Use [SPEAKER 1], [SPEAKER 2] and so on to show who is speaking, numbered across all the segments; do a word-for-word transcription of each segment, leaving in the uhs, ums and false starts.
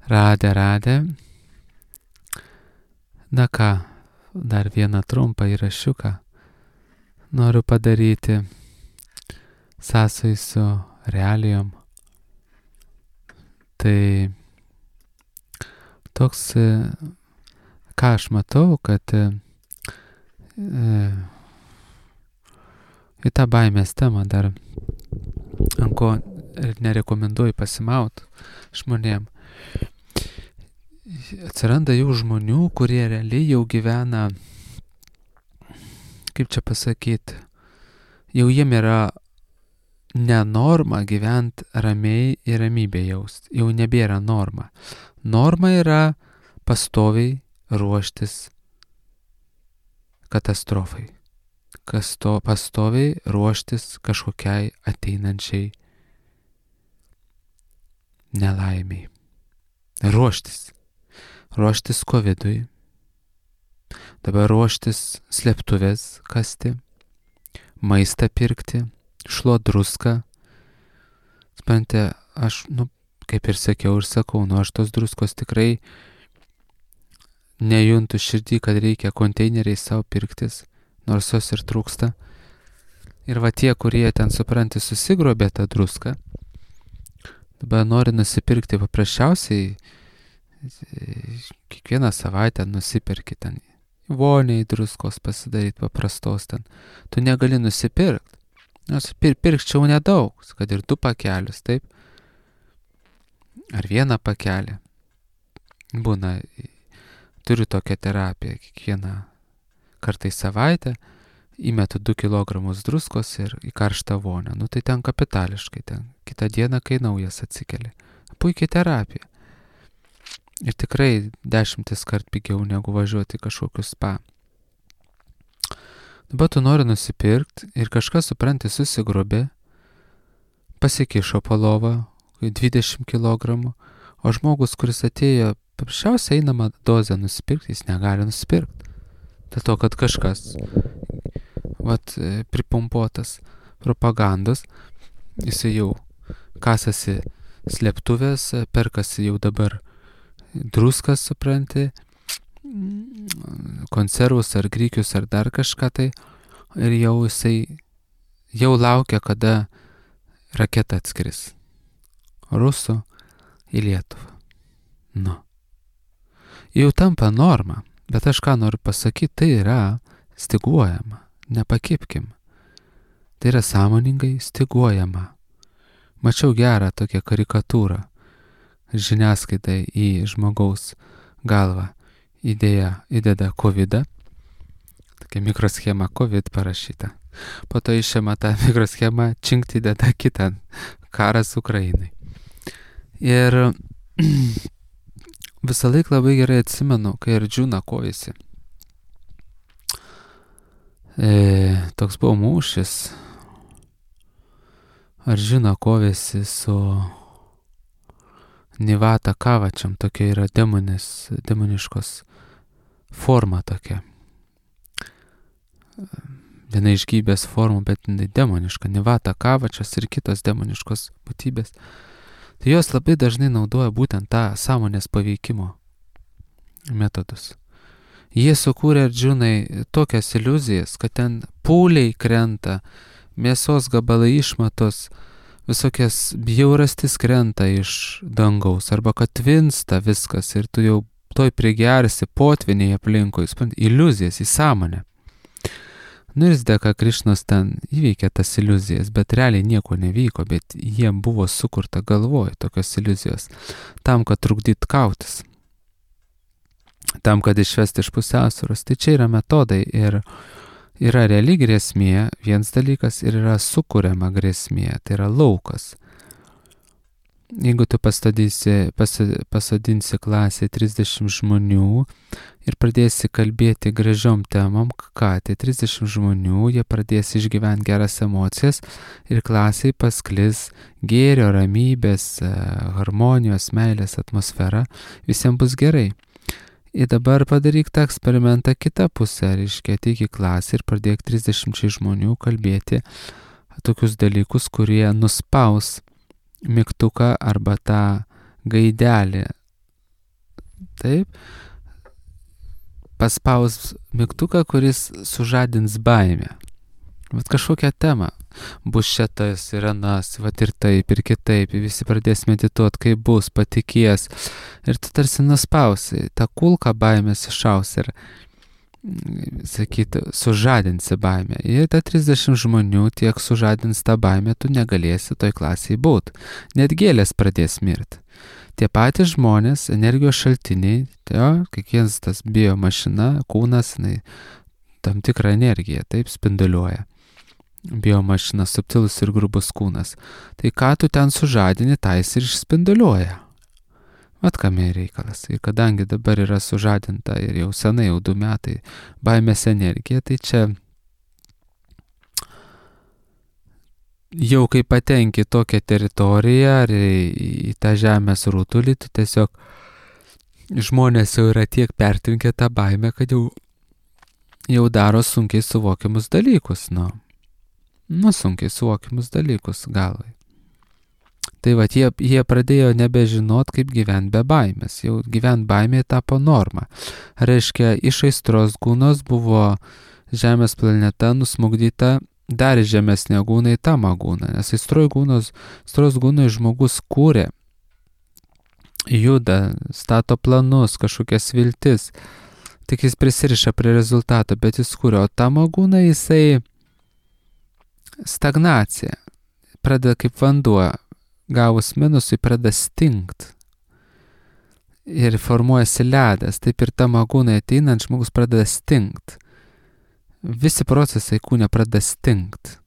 [SPEAKER 1] Radę, radę. Na ką, dar vieną trumpą įrašiuką noriu padaryti sąsai su realijom. Tai toks, ką aš matau, kad e, į tą baimės temą dar ant ko ir nerekomenduoju pasimaut žmonėm. Atsiranda jau žmonių, kurie realiai jau gyvena, kaip čia pasakyti, jau jiem yra ne norma gyventi ramiai ir ramybė jaust. Jau nebėra norma. Norma yra pastoviai ruoštis katastrofai. Kasto, pastoviai ruoštis kažkokiai ateinančiai nelaimiai. Ruoštis. Ruoštis kovidui. Dabar ruoštis slėptuvės kasti. Maistą pirkti. Šluot druską. Spante, aš, nu, kaip ir sakiau ir sakau, nu, aš tos druskos tikrai nejuntu širdį, kad reikia konteineriai savo pirktis, nors jos ir trūksta. Ir va tie, kurie ten, supranti, susigrobė tą druską, dabar nori nusipirkti paprasčiausiai, kiekvieną savaitę nusipirki ten voniai druskos pasidaryti paprastos ten. Tu negali nusipirkti. Nors pir, pirkčiau nedaug, kad ir du pakelius, taip? Ar vieną pakelį. Būna, turiu tokią terapiją, kiekvieną kartą į savaitę įmetu du kilogramus druskos ir į karštą vonią. Nu tai ten kapitališkai, ten kitą dieną, kai naujas atsikeli. Puikiai terapija. Ir tikrai dešimtis kart pigiau negu važiuoti kažkokius spa. Dabar tu nori nusipirkti ir kažkas, supranti, susigrobė, pasikišo po lovą, dvidešimt kilogramų, o žmogus, kuris atėjo paprasčiausiai einamą dozę nusipirkti, jis negali nusipirkti. Dėl to, kad kažkas, vat, pripumpuotas propagandos, jis jau kasasi slėptuvės, perkasi jau dabar druskas, supranti, konservus ar grikius ar dar kažką tai, ir jau jisai jau laukia, kada raketa atskris rusų į Lietuvą. Nu. Jau tampa norma, bet aš ką noriu pasakyti, tai yra styguojama, nepakipkim. Tai yra sąmoningai styguojama. Mačiau gerą tokią karikatūrą žiniasklaidai į žmogaus galvą. Idėja įdeda kovidą, tokia mikroschema COVID parašyta. Po to išėma tą mikroschemą, činkt įdeda kitą, karas Ukrainai. Ir visą laiką labai gerai atsimenu, kai Ardžuna kovėsi. E, toks buvo mūšis. Ardžuna kovėsi su Nivata Kavačiam, tokia yra demonis, demoniškos forma tokia. Viena iš gyvybės formų, bet demoniška. Nivata Kavačias ir kitos demoniškos būtybės. Tai jos labai dažnai naudoja būtent tą sąmonės paveikimo metodus. Jie sukūrė Ardžunai tokias iliuzijas, kad ten pūliai krenta, mėsos gabalai išmatos, visokias bjaurastis krenta iš dangaus, arba kad tvinsta viskas ir tu jau toj prigersi potviniai aplinkui, iliuzijas į sąmonę. Nu ir dėka Krišnos ten įveikė tas iliuzijas, bet realiai nieko nevyko, bet jiem buvo sukurta galvoj tokios iliuzijos, tam, kad trukdyt kautis, tam, kad išvesti iš pusiausvyros. Tai čia yra metodai ir yra reali grėsmė, vienas dalykas, ir yra sukuriama grėsmė, tai yra laukas. Jeigu tu pasadinsi, pasadinsi klasėje trisdešimt žmonių ir pradėsi kalbėti gražiom temom, ką tai trisdešimt žmonių, jie pradės išgyventi geras emocijas ir klasėje pasklis gėrio, ramybės, harmonijos, meilės atmosfera, visiems bus gerai. Ir dabar padaryk tą eksperimentą kitą pusę, reiškia, ateik į klasę ir pradėk trisdešimt žmonių kalbėti tokius dalykus, kurie nuspaus mygtuką arba tą gaidelį taip, paspaus mygtuką, kuris sužadins baimę. Vat kažkokią temą. Bus šitas ir anas, vat ir taip, ir kitaip, visi pradės medituoti, kaip bus, patikės. Ir tu tarsi nuspausi, tą kulką baimės išaus ir, sakyti, sužadinsi baimę. Ir ta trisdešimt žmonių tiek sužadins tą baimę, tu negalėsi toj klasėje būti. Net gėlės pradės mirti. Tie patys žmonės, energijos šaltiniai, tai kiekvienas tas biomašina, kūnas, jinai, tam tikrą energiją, taip spinduliuoja. Biomašina, subtilus ir grubus kūnas. Tai ką tu ten sužadini, tai jis ir išspinduliuoja. Vat kame reikalas. Ir kadangi dabar yra sužadinta ir jau senai, jau du metai, baimės energija, tai čia jau kai patenki tokią teritoriją ar į, į tą žemės rutulį, tu tiesiog žmonės jau yra tiek pertvinkę tą baimę, kad jau, jau daro sunkiai suvokiamus dalykus, nu. Nu, sunkiai suvokiamus dalykus galvai. Tai va, jie, jie pradėjo nebežinot, kaip gyventi be baimės. Jau gyventi baimėje tapo norma. Reiškia, iš aistros gūnos buvo Žemės planeta nusmugdyta dar žemesnė gūna į tamą gūną. Nes aistros gūnos, aistros gūnai žmogus kūrė, juda, stato planus, kažkokias viltis. Tik jis prisiriša prie rezultato, bet jis kūrė. O tamo gūna jisai stagnacija. Pradeda kaip vanduo, gavus minusui pradeda stingt. Ir formuojasi ledas. Taip ir tamo gūnai ateinant žmogus pradeda stingt. Visi procesai kūne pradeda stingt.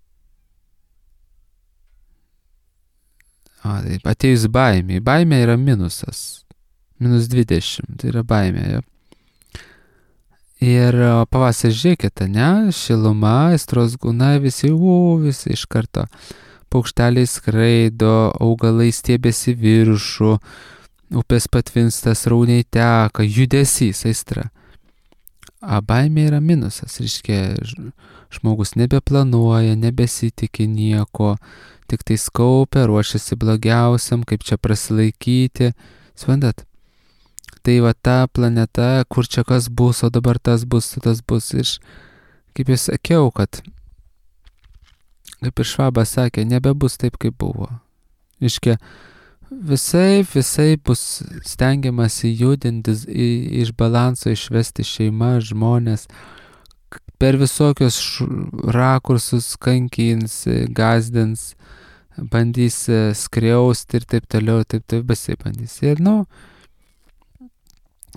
[SPEAKER 1] O, taip, atėjus baimė. Baimė yra minusas. Minus dvidešimt. Tai yra baimė. Ja. Ir pavasarį žiūrėkite, ne? Šiluma, aistros gūna, visi, u, visi iš karto. Paukšteliai skraido, augalai stiebėsi viršų, upės patvinstas, rauniai teka, judesys, aistra. A baimė yra minusas, reiškia, žmogus nebeplanuoja, nebesitikė nieko, tik tai skaupia, ruošiasi blogiausiam, kaip čia prasilaikyti. Suprantat? Tai va ta planeta, kur čia kas bus, o dabar tas bus, tas bus. Ir kaip jau sakiau, kad kaip ir Švabas sakė, nebebus taip, kaip buvo. Iškia, visai, visai bus stengiamasi judintis, iš balanso išvesti šeimą, žmonės, per visokius rakursus kankins, gazdins, bandys skriausti ir taip toliau, taip taip visai bandys. Ir, nu,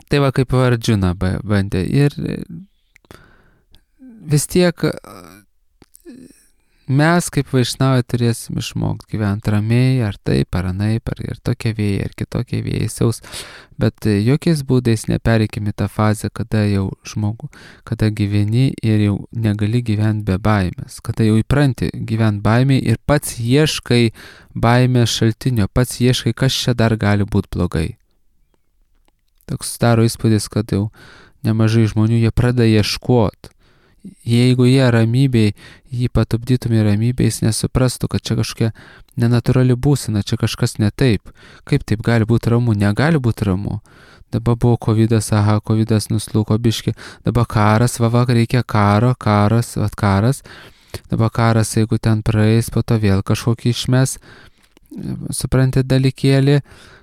[SPEAKER 1] tai va kaip Arjuna bandė. Ir vis tiek mes kaip vaišnavai turėsim išmokti gyventi ramiai, ar taip, ar anaip, ar ir tokie vėjai, ar kitokie vėjai siaus, bet jokiais būdais nepereikime tą fazę, kada jau žmogu, kada gyveni ir jau negali gyventi be baimės, kada jau įpranti gyventi baimei ir pats ieškai baimės šaltinio, pats ieškai, kas čia dar gali būti blogai. Toks daro įspūdis, kad jau nemažai žmonių jie pradeda ieškoti. Jeigu jie ramybėj, jį patupdytumė ramybėj, jis nesuprastų, kad čia kažkokia nenatūrali būsena, čia kažkas ne taip. Kaip taip gali būti ramu? Negali būti ramu. Dabar buvo kovidas, aha, kovidas nuslūko biški. Dabar karas, va, va, reikia karo, karas, va, karas. Dabar karas, jeigu ten praeis, po to vėl kažkokį išmes, suprantate, dalykėlį,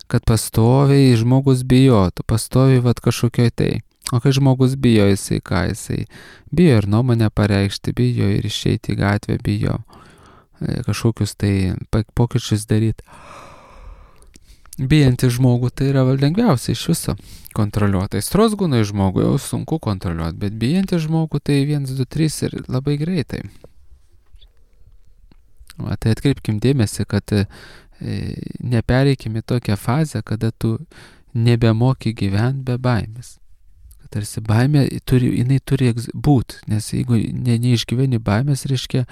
[SPEAKER 1] kad pastoviai žmogus bijotų, pastoviai vat kažkokioj tai. O kai žmogus bijo, jisai ką jisai? Bijo ir nuomonę pareikšti, bijo ir išeiti į gatvę, bijo kažkokius tai pokyčius daryti. Bijantį žmogų tai yra lengviausia iš viso kontroliuoti. Aistros gūnai žmogų jau sunku kontroliuoti, bet bijantį žmogų tai vienas, du, trys ir labai greitai. O, tai atkreipkim dėmesį, kad e, nepereikime tokią fazę, kada tu nebemoki gyventi be baimės. Tarsi baimė, turi, jinai turi būti, nes jeigu ne, neišgyveni baimės, reiškia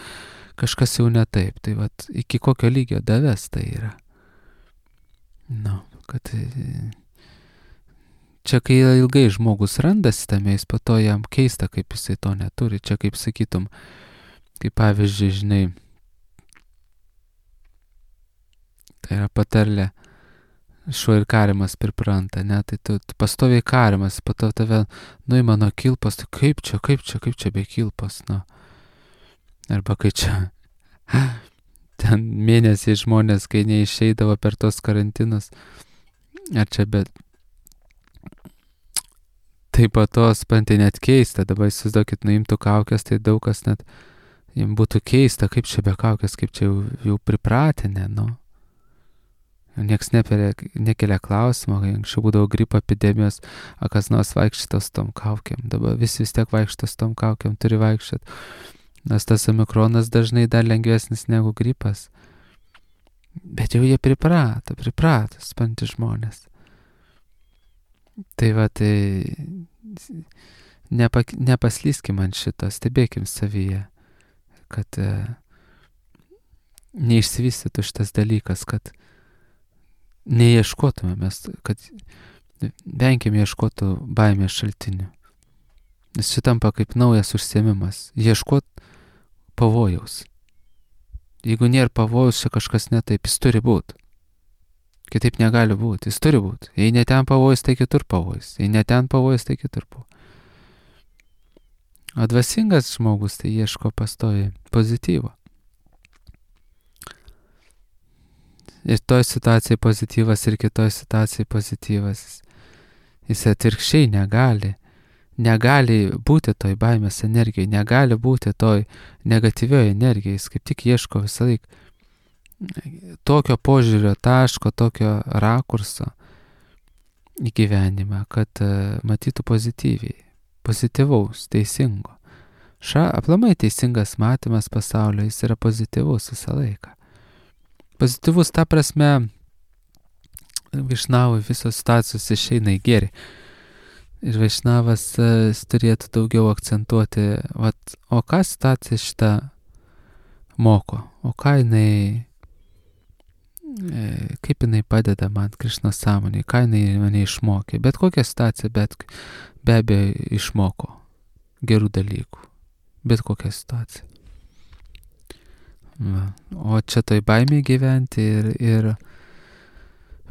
[SPEAKER 1] kažkas jau ne taip. Tai vat, iki kokio lygio davės tai yra. Nu, kad čia kai ilgai žmogus randasi tame, jis po to jam keista, kaip jisai to neturi. Čia kaip sakytum, kaip pavyzdžiui, žinai, tai yra patarlė, šuo ir karimas pripranta, ne, tai tu, tu pastoviai karimas, po to tave nuima nuo kilpos, tai kaip čia, kaip čia, kaip čia be kilpos, nu. Arba kai čia ten mėnesiai žmonės, kai neišeidavo per tos karantinus, ar čia bet taip pat tos, pantai net keista, dabar įsivaizduokit, nuimtų kaukės, tai daug kas net jiems būtų keista, kaip čia be kaukės, kaip čia jau, jau pripratinę, nu. Niekas nekelia klausimo, kai anksčiau būdavo gripo epidemijos, o kas nors vaikščios tom kaukiam. Dabar visi vis tiek vaikščios tom kaukiam, turi vaikščiot. Nes tas omikronas dažnai dar lengvesnis negu gripas. Bet jau jie priprato, priprato, spanti žmonės. Tai va, tai nepa, nepaslyskim ant šito, stebėkim savyje, kad e, neišsivystytų šitas dalykas, kad neieškotume mes, kad venkim ieškotų baimės šaltinių. Nes šitampa kaip naujas užsiėmimas. Ieškot pavojaus. Jeigu nėra pavojaus, čia kažkas ne taip, jis turi būti. Kitaip negali būti, jis turi būti. Jei ne ten pavojus, tai kitur pavojus. Jei ne ten pavojus, tai kitur pavojus. O dvasingas žmogus tai ieško pastoviai pozityvo. Ir toj situacijai pozityvas, ir kitoj situacijai pozityvas. Jis atvirkščiai negali. Negali būti toj baimės energijai, negali būti toj negatyvioje energijai. Jis kaip tik ieško visą laiką tokio požiūrio taško, tokio rakurso į gyvenimą, kad uh, matytų pozityviai, pozityvaus, teisingo. Ša, aplamai teisingas matymas pasaulio, jis yra pozityvus visą laiką. Pozityvus ta prasme, Vaišnavui visos situacijos išeina į gėrį. Ir Vaišnavas uh, turėtų daugiau akcentuoti, vat, o ką situacija šitą moko, o ką jinai, e, kaip jinai padeda man Krišnos sąmonėje, ką jinai mane išmokė. Bet kokią situaciją, bet be abejo išmoko gerų dalykų. Bet kokią situaciją. Va. O čia toj baimėje gyventi ir, ir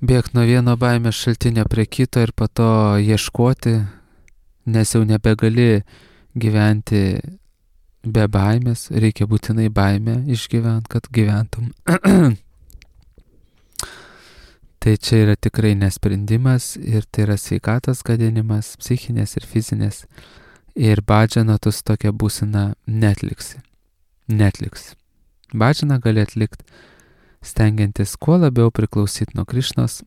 [SPEAKER 1] bėgti nuo vieno baimės šaltinio prie kito ir po to ieškoti, nes jau nebegali gyventi be baimės, reikia būtinai baimę išgyventi, kad gyventum. Tai čia yra tikrai nesprendimas ir tai yra sveikatos gadinimas, psichinės ir fizinės. Ir badžiano tu su tokia būsena netliksi. Netliksi. Badžianą gali atlikti, stengiantis kuo labiau priklausyti nuo Krišnos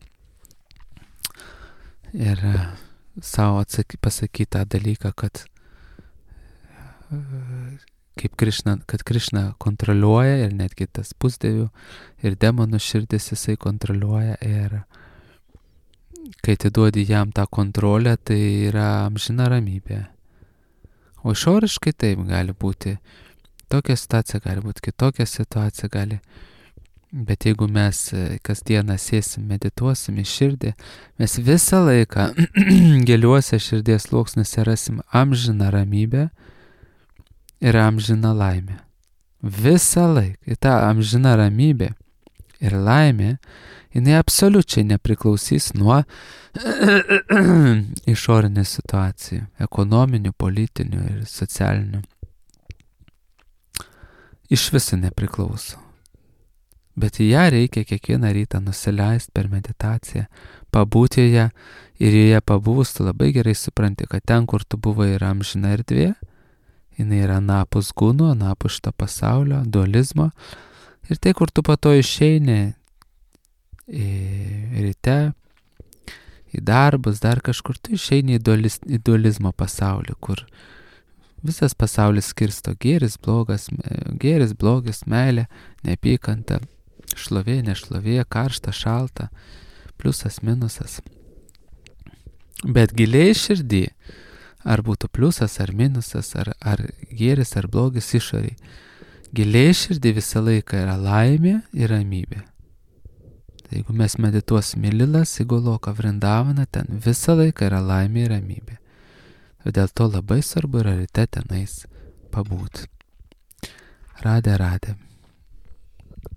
[SPEAKER 1] ir savo pasakyti tą dalyką, kad kaip Krišna, kad Krišna kontroliuoja ir netgi tas pusdievių ir demonų širdis jisai kontroliuoja ir kai atiduodi jam tą kontrolę, tai yra amžina ramybė. O išoriškai taip gali būti. Tokia situacija gali būti, kitokia situacija gali. Bet jeigu mes kasdieną sėsim, medituosim į širdį, mes visą laiką giliuose širdies sluoksniuose rasim amžiną ramybę ir amžiną laimę. Visą laiką. Ir ta amžina ramybė ir laimė, jinai absoliučiai nepriklausys nuo išorinių situacijų, ekonominių, politinių ir socialinių. Iš viso nepriklauso. Bet į ją reikia kiekvieną rytą nusileisti per meditaciją, pabūti ją ir joje pabuvus tu labai gerai supranti, kad ten, kur tu buvai, yra amžina erdvė, jinai yra anapus gūno, anapus šito pasaulio, dualizmo. Ir tai, kur tu po to išeini į ryte, į darbus, dar kažkur, tu išeini į, dualiz, į dualizmo pasaulį, kur visas pasaulis skirsto gėris, blogas, gėris, blogis, meilė, neapykanta, šlovė, nešlovė, karšta, šalta, pliusas, minusas. Bet giliai širdį, ar būtų pliusas, ar minusas, ar, ar gėris, ar blogis išoriai, giliai širdį visą laiką yra laimė ir ramybė. Tai jeigu mes medituosime Lilas, Igoloką, Vrindavaną, ten visą laiką yra laimė ir ramybė. Dėl to labai svarbu yra ryte tenais pabūti. Radė, radė.